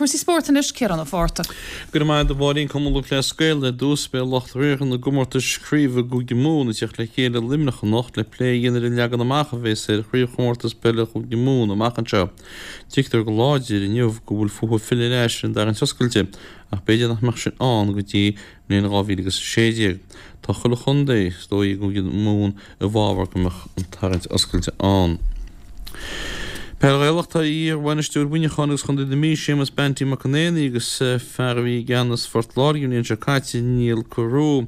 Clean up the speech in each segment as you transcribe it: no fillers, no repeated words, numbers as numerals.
Cúrsaí spóirt anois, Ciarán Ó Fátharta. Go raibh maith agat a Mháirín. Cumann Lúthchleas Gael ar dtús. Beidh lucht riartha na gcomórtais craoibhe i gCúige Mumhan ag teacht le chéile i Luimneach anocht le plé a dhéanamh ar an leagan amach a bheas ar chraobhchomórtas peile Chúige Mumhan amach anseo. Tuigtear go láidir inniu go bhfuil fúthu filleadh ar ais ar an dtarraingt oscailte ach b'fhéidir nach mbeadh sin ann go dtí mbliain 2016. Tá chuile chontae, is dóigh, i gCúige Mumhan i bhfabhar go mbeadh an tarraingt oscailte ann. Peil Ghaelach Tá iar-bhainisteoir Mhuineacháin agus Chontae na Mí, Séamus Banty Mac an Éanaigh agus fear a bhí i gceannas Phort Láirge an bhliain seo caite, Niall Carew,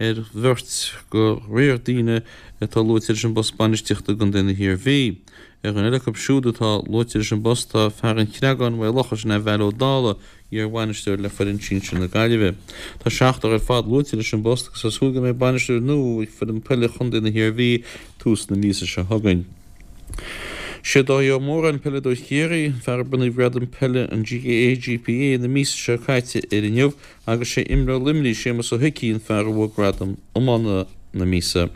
ar bheirt de thriúr daoine atá luaite leis an bpost bainistíochta i gContae na hIarmhí. Ar dhuine eile acu siúd atá luaite leis an bpost tá fear an Chreagáin, Mhaigh Locha, sin é Val Ó Dálaigh, iar-bhainisteoir le foireann sinsir na Gaillimhe. Tá seachtar ar fad luaite leis an bpost agus tá súil go mbeidh bainisteoir nua ag foireann peile chontae na hIarmhí tús na míosa seo chugainn. Sé Dáithí Ó Móráin, peileadóir Chiarraí, an fear a bronnadh gradam peile an GAA GPA na míosa seo caite air inniu agus sé imreoir Luimnigh, Séamus Ó hIcí, an fear a bhuaigh gradam iomána na míosa.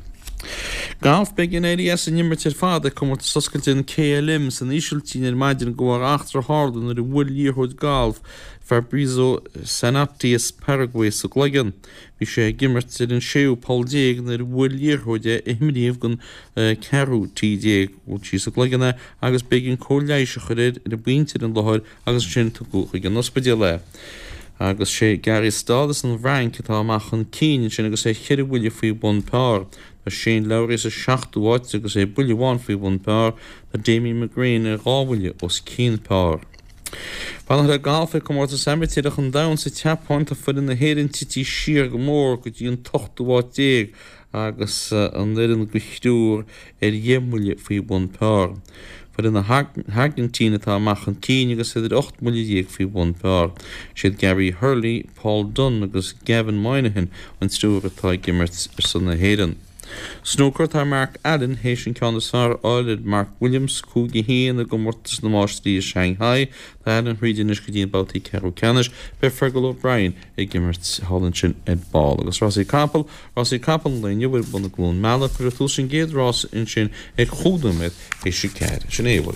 Galf, Beidh an éirí as an imirt ar fad ag Comórtas Oscailte an KLM san Ísiltír ar maidin de bharr eachtra a tharla nuair a bhuail liathróid gailf Fabrizio Zanotti as Paraguay sa gcloigeann. Bhí sé ag imirt ar an séú poll nuair a bhuail liathróid é a imríodh don ceathrú tee déag. Bhuail sí sa gcloigeann é agus b'éigean cóir leighis a chur air ar an bpointe ar an láthair agus ansin tugadh chuig an ospidéal é. Agus sé Gary Stahl as an bhFrainc atá amach chun cinn ansin agus é cheithre bhuille faoi bhun par. Tá Shane Lowry sa seachtú háit agus é buille amháin faoi bhun par. Tá Damien McGrane ar dhá bhuille os cionn par. Fanacht le galf ag Comórtas Amaitéarach an Domhain sa tSeapáin, tá foireann na hÉireann tite siar go mór go dtí an t-ochtú háit déag agus an fhoireann de thriúr ar dheich mbuille faoi bhun par. Foireann na hAirgintíne atá amach chun cinn agus iad ar 18 mbuille faoi bhun par. Is iad Gary Hurley, Paul Dunne agus Gavin Moynihan an triúr atá ag imirt ar son na hÉireann. Snúcar Tá Mark Allen théis an ceann is fearr a fháil ar Mark Williams, 5-1, i gComórtas na Máistrí i Shanghai. Tá Allen thríd anois go dtí na babhtaí ceathrú ceannais. Beidh Fergal O'Brien ag imirt thall ansin ar ball. Agus rásaí capall Rásaí capall an lae inniu ar bun i gCluain Meala. Cuirfear tús an gcéad rás ansin ag chúig nóiméad théis a ceathair. Sin é a bhfuil.